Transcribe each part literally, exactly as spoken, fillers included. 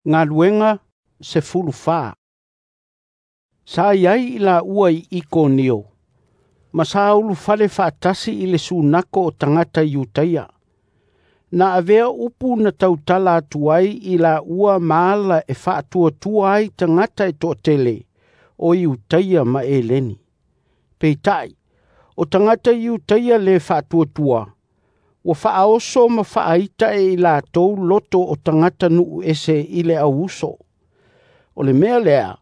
Galuega sefulufa. Sa i ai i laua i Ikonio, ma sa ulufale faatasi i le sunako o tagata Iutaia. Na avea upu na tautala atu ai i laua ma ala e faatuatua ai tagata e toatele o Iutaia ma Eleni. Peitai, o tagata Iutaia le faatuatua, ua faaoso ma faaita e i latou loto o tagata nuu ese i le auuso. O le mea lea,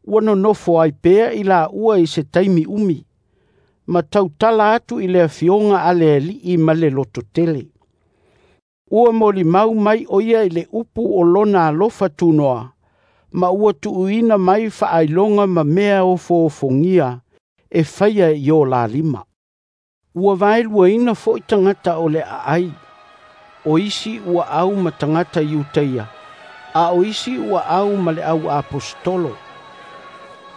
ua nonofo ai pea i laua i se taimi umi, ma tautala atu i le afioga a le Alii ma le lototele. Ua molimau mai o ia i le upu o lona alofa tunoa, ma ua tuuina mai faailoga ma mea ofoofogia e faia i o la lima. Ua vaeluaina foi tagata o le aai, o isi ua au ma tagata Iutaia, a o isi ua au ma le au aposetolo.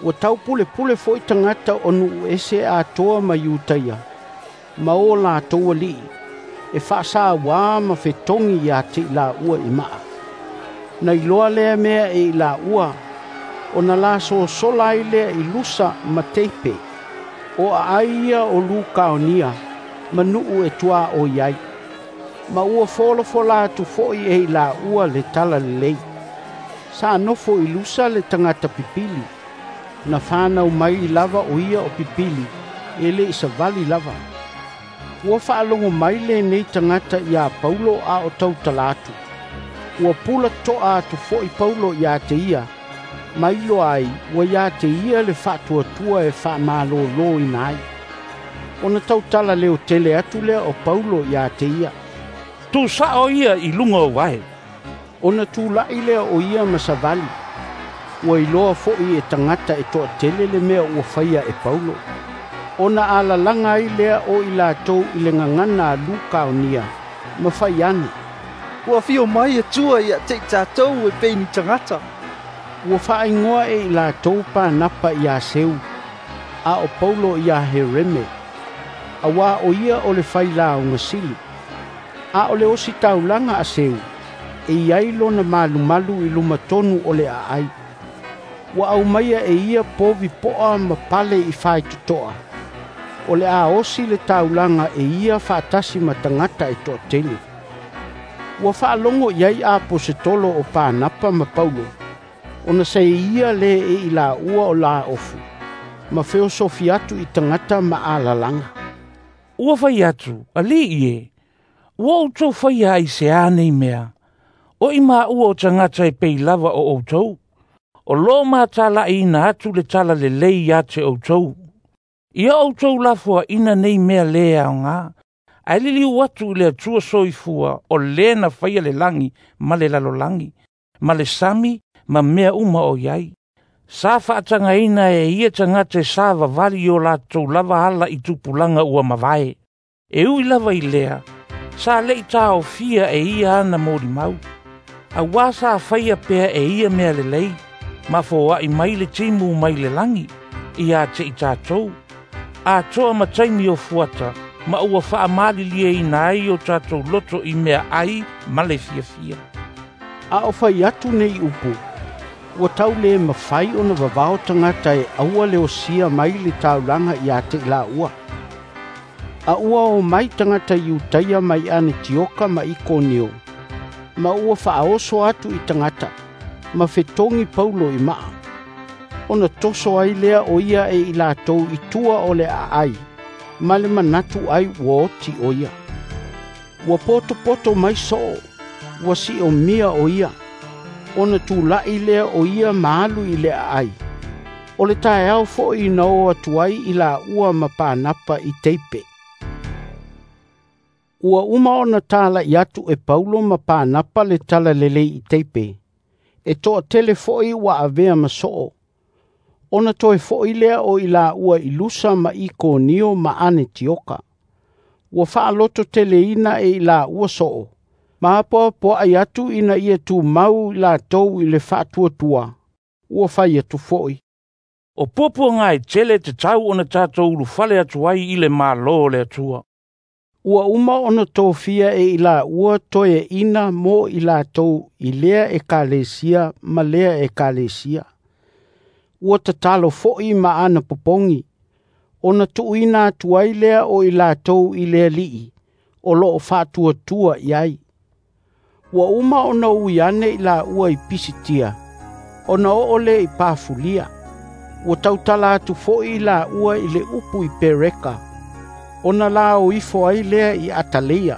Ua taupulepule foi tagata o nuu ese atoa ma Iutaia, ma o latou alii, e faasauā ma fetogi ia te i laua i maa. Na iloa lea mea e i laua, ona la sosola ai lea i Lusa ma Teipe, o aai ia o Lukaonia, ma nuu e tuaoi ai. Ma ua folafola atu foi e i laua le talalelei. Sa nofo i Lusa le tagata pipili, na whanau mai lava o ia o pipili, e le i savali lava. Ua faalogo mai lenei tagata iā Paulo a o tautala atu. Ua pula toa atu foi Paulo ia te ia, ma iloa ai ua ia te ia le faatuatua e faamalōlōina ai. Ona tautala leotele atu lea o Paulo ia te ia, "Tuusao ia i luga o vae." Ona tula'i lea o ia ma savali. Ua iloa foi e tagata e toatele le mea ua faia e Paulo. Ona alalaga ai lea o i latou i le gagana a Lukaonia, ma fai ane, "Ua afio mai Atua ia te i tatou e pei ni tagata." Ua faaigoa e i latou Panapa iā Seu, a o Paulo iā Hereme, auā o ia o le failauga sili. A o le ositaulaga a Seu, e i ai lona malumalu i luma tonu o le aai. Ua aumaia e ia povi poa ma pale i faitotoa, o le a osi le taulaga e ia faatasi ma tagata e toatele. Ua faalogo i ai aposetolo o Panapa ma Paulo, ona sa ia le e i laua o laofu, ma feosofi atu i tagata ma alalaga. "Ua fai atu, alii e, ua outou faia ai se a nei mea? O i maua o tagata e pei lava o outou. O lo matalaʻiina atu le talalelei ia te outou. Ia outou lafoaʻina nei mea lē aogā, ae liliu atu i le Atua soifua o lē na faia le lagi ma le lalolagi, ma le sami ma mea uma o i ai. Sa faatagaina e ia tagata e savavali i o latou lava ala i tupulaga ua mavae. E ui lava i lea, sa leʻi taofia e ia ana molimau. Auā sa faia pea e ia mea lelei, ma foaʻi mai le timu mai le lagi, ia te i tatou. Atoa ma taimi o fuata, ma ua faamalilieina ai o tatou loto i mea ai ma le fiafia." A o fai atu nei upu, ua tau le mafai ona vavao tagata e aua le osia mai le taulaga ia te i laua. A ua o mai tagata Iutaia mai Anetioka ma Ikonio, ma ua faaoso atu i tagata, ma fetogi Paulo i maa. Ona toso ai lea o ia e i latou i tua o le aai, ma le manatu ai ua oti o ia. Ua potopoto mai soo, ua siomia o ia. Ona tulaʻi lea o ia ma alu i le aai. O le taeao foi na o atu ai i laua ma Panapa i Teipe. Ua uma ona talaʻi atu e Paulo ma Panapa le talalelei i Teipe, e toatele foi ua avea ma soo. Ona toe foi lea o i laua i Lusa ma Ikonio ma Anetioka. Ua faalototeleina e i laua soo, ma apoapoaʻi atu ina ia tumau i latou i le faatuatua. Ua fai atu foi, "O puapuaga e tele e tatau ona tatou ulufale atu ai i le Malo o le Atua." Ua uma ona tofia e i laua toeaina mo i latou i lea ekalesia ma lea ekalesia. Ua tatalo foi ma ana popogi, ona tuuina atu ai lea o i latou i le Alii o loo faatuatua i ai. Ua uma ona ui ane i laua i Pisitia, ona oo lea i Pafulia. Ua tautala atu foi i laua i le upu i Pereka, ona la o ifo ai lea i Ataleia.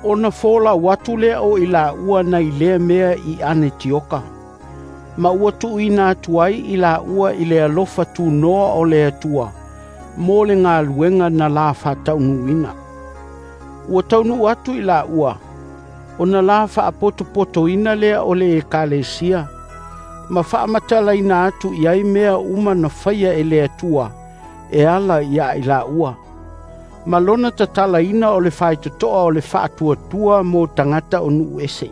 Ona folau atu lea o i laua nai lea mea i Anetioka. Ma ua tuuina atu ai i laua i le alofa tunoa o le Atua, mo le galuega na la faataunuuina. Ua taunuu atu i laua, ona la faapotopotoina lea o le ekalesia, ma faamatalaina atu i ai mea uma na faia e le Atua, e ala ia i laua. Ma lona tatalaina o le faitotoa o le faatuatua mo tagata o nuu ese.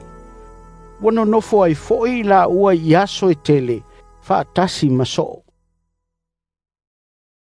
Ua nonofo ai foi i laua i aso e tele, faatasi ma soo.